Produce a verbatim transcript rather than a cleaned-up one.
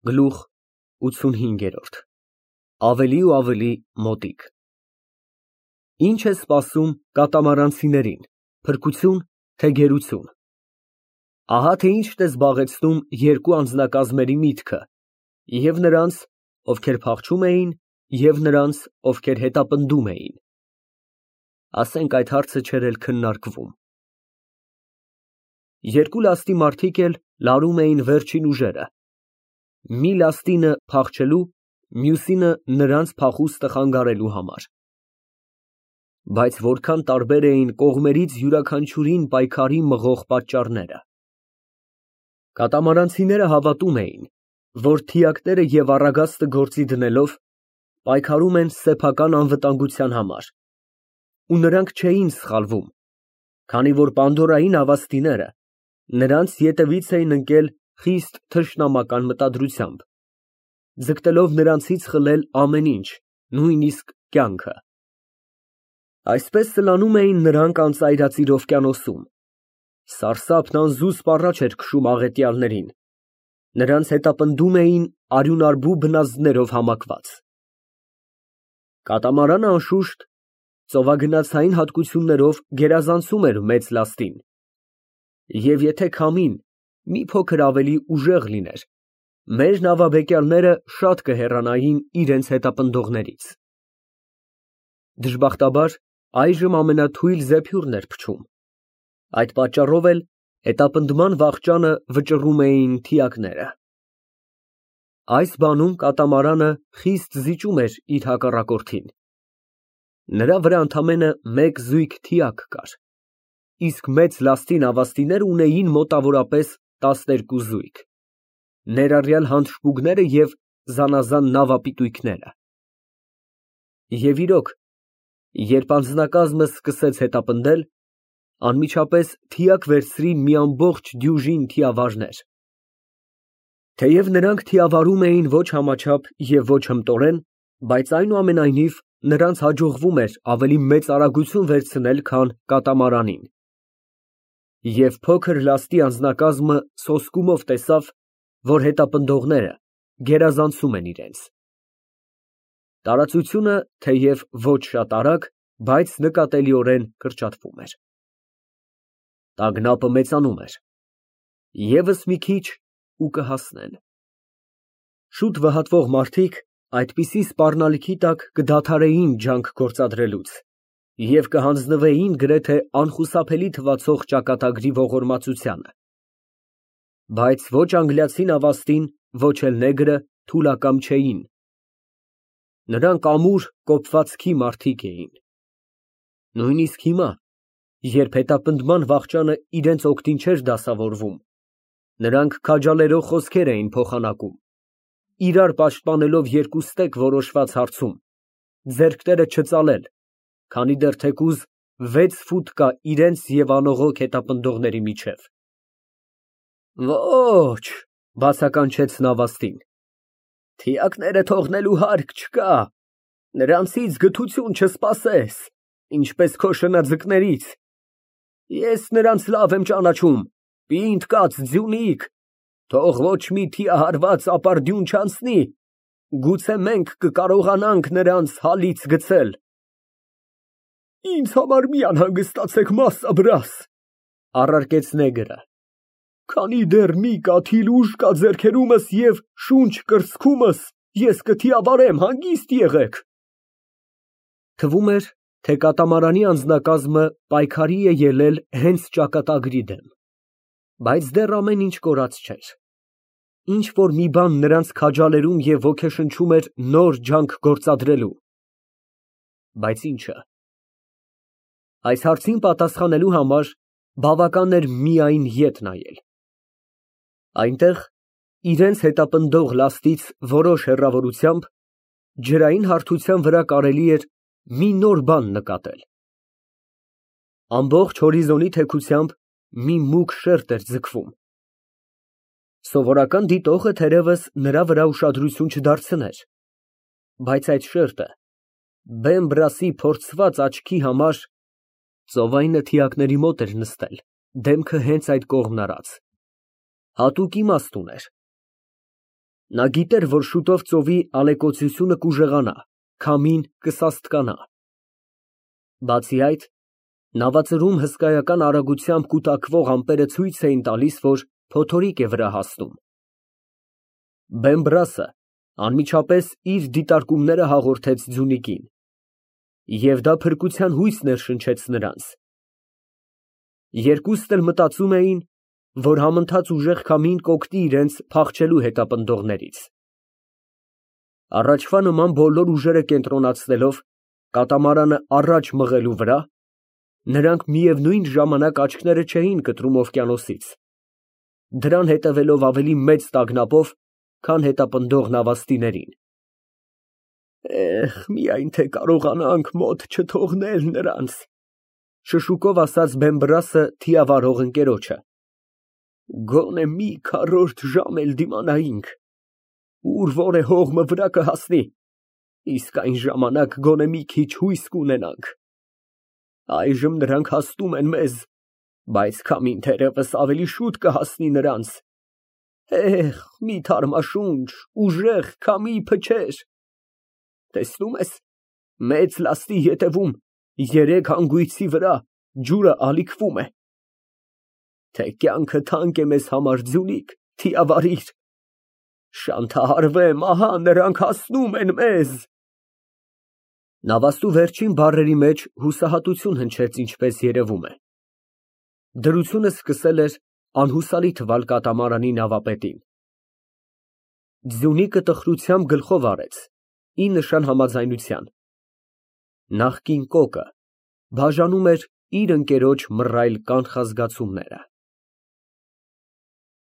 Գլուխ ութսունհինգ. Ավելի ու ավելի մոտիկ։ Ինչ է սպասում կատամարանցիներին, փրկությո՞ւն, թե գերություն։ Ահա թե ինչն է զբաղեցնում երկու անձնակազմերի միտքը, և նրանց, ովքեր փախչում էին, և նրանց, ովքեր հետապնդում էին։ Ասենք այդ հարցը չէր էլ քննարկվում։ Երկու լաստի մարդիկ էլ լարում էին վերջին ուժերը, մի լաստինը փախչելու, մյուսինը նրանց փախուստը խանգարելու համար։ Բայց որքան տարբեր էին կողմերից յուրաքանչյուրին պայքարի մղող պատճառները։ Կատամարանցիները հավատում էին, որ թիակները և առագաստը գործի դնելով, պայքարում են սեփական անվտանգության համար, ու նրանք չէին սխալվում, քանի որ պանդորային հավաստիները նրանց ետևից էին ընկել խիստ թշնամական մտադրությամբ, ձգտելով նրանցից խլել ամեն ինչ, նույնիսկ կյանքը։ Այսպես սլանում էին նրանք անծայրածիր օվկիանոսում, սարսափն անզուսպ առաջ էր քշում աղետյալներին, նրանց հետապնդում էին արյունարբու բնազդներով համակված։ Կատամարանը, անշուշտ, ծովագնացային հատկություններով գերազանցում էր մեծ լաստին, և եթե քամին մի փոքր ավելի ուժեղ լիներ, մեր նավաբեկյալները շատ կհեռանային իրենց հետապնդողներից։ Դժբախտաբար, այժմ ամենաթույլ զեփյուռն էր փչում, այդ պատճառով էլ հետապնդման վախճանը վճռում էին թիակները։ Այս բանում կատամարանը խիստ զիջում էր իր հակառակորդին։ Նրա վրա ընդամենը մեկ զույգ թիակ կար, իսկ մեծ լաստի նավաստիները ունեին մոտավորապես տասներկու զույգ, ներառյալ հանդշտուկները և զանազան նավապիտույքները։ Եվ իրոք, երբ անձնակազմը սկսեց հետապնդել, անմիջապես թիակ վերցրին մի ամբողջ դյուժին թիավարներ։ Թեև նրանք թիավարում էին ոչ համաչափ և ոչ հմտորեն, բայց այնուամենայնիվ նրանց հաջողվում էր ավելի մեծ արագություն վերցնել, քան կատամարանին։ Եվ փոքր լաստի անձնակազմը սոսկումով տեսավ, որ հետապնդողները գերազանցում են իրենց։ Տարածությունը թեև ոչ շատ արագ, բայց նկատելիորեն կրճատվում էր։ Տագնապը մեծանում էր։ ԵՒս մի քիչ ու կհասնեն։ Շուտ վհատվող մարդիկ այդպիսի սպառնալիքի տակ կդադարեին ջանք գործադրելուց և կհանձնվեին գրեթե անխուսափելի թվացող ճակատագրի ողորմածությանը։ Բայց ոչ անգլիացի նավաստին, ոչ էլ նեգրը թուլակամ չէին։ Նրանք ամուր կոպվածքի մարդիկ էին։ Նույնիսկ հիմա, երբ հետապնդման վախճանը իրենց օգտին չէր դասավորվում, նրանք քաջալերող խոսքեր էին փոխանակում, իրար պաշտպանելով երկուստեք որոշված հարցում, ձեռքները չծալել, քանի դեռ թեկուզ վեց ֆուտ կա իրենց և անողոք հետապնդողների միջև։ Ոչ, բացականչեց նավաստին, թիակները թողնելու հարկ չկա, նրանցից գթություն չսպասես, ինչպես քո շնաձկներից, ես նրանց լավ եմ ճանաչում, պինդ կաց ձյունիկ, թող ոչ մի թիահարված ապարդյուն չանցնի, գուցե մենք կկարողանանք նրանց հալից գցել։ Ինձ համար մի անհանգստացեք, մասսա, առարկեց նեգրը, քանի դեռ մի կաթիլ ուժ կա ձեռքերումս և շունչ կրծքումս, ես կթիավարեմ, հանգիստ եղեք։ Թվում էր, թե կատամարանի անձնակազմը պայքարի է ելել հենց ճակատագրի դեմ, բայց դեռ ամեն ինչ կորած չէր։ Ինչ֊որ մի բան նրանց քաջալերում և ոգեշնչում էր նոր ջանք գործադրելու։ Բայց ի՞նչը։ Այս հարցին պատասխանելու համար բավական էր միայն ետ նայել։ Այնտեղ, իրենց հետապնդող լաստից որոշ հեռավորությամբ, ջրային հարթության վրա կարելի էր մի նոր բան նկատել։ Ամբողջ հորիզոնի թեքությամբ մի մուգ շերտ էր ձգվում։ Սովորական դիտողը թերևս նրա վրա ուշադրություն չդարձներ, բայց այդ շերտը Բեմբրասի փորձված աչքի համար ծովայինը թիակների մոտ էր նստել, դեմքը հենց այդ կողմն արած, հատուկ իմաստ ուներ։ Նա գիտեր, որ շուտով ծովի ալեկոծությունը կուժեղանա, քամին կսաստկանա։ Բացի այդ, նավածրում հսկայական արագությամբ կուտակվող ամպերը ցույց էին տալիս, որ փոթորիկ է վրա հասնում։ Բեմբրասը անմիջապես իր դիտարկումները հաղորդեց ձյունիկին, և դա փրկության հույս ներշնչեց նրանց։ Երկուսն էլ մտածում էին, որ համընթաց ուժեղ քամին կօգնի իրենց փախչելու հետապնդողներից։ Առաջվա նման բոլոր ուժերը կենտրոնացնելով կատամարանը առաջ մղելու վրա, նրանք միևնույն ժամանակ աչքները չէին կտրում օվկիանոսից, դրան հետևելով ավելի մեծ տագնապով, քան հետապնդող նավաստիներին։ «Էհ, միայն թե կարողանանք մոտ չթողնել նրանց», շշուկով ասաց Բեմբրասը թիավարող ընկերոջը։ «Գոնե մի քառորդ ժամ էլ դիմանայինք, ուր որ է հողմը վրա կհասնի, իսկ այն ժամանակ գոնե մի քիչ հույս կունենանք։ Այժմ նրանք հասնում են մեզ, բայց քամին թերևս ավելի շուտ կհասնի նրանց։ Էհ, մի թարմաշունչ, ուժեղ քամի փչեր։ Տեսնում ես, մեծ լաստի ետևում, երեք հանգույցի վրա ջուրը ալիքվում է։ Թե կյանքը թանկ է մեզ համար, ձյունիկ, թիավարիր։ Շանթահարվեմ, ահա նրանք հասնում են մեզ»։ Նավաստու վերջին բառերի մեջ հուսահատություն հնչեց, ինչպես երևում է։ Դրությունը սկսել էր անհուսալի թվալ կատամարանի նավապետին։ Ձյունիկը տխրությամբ գլխով արեց, ի նշան համաձայնության։ Նախկին կոկը բաժանում էր իր ընկերոջ մռայլ կանխազգացումները։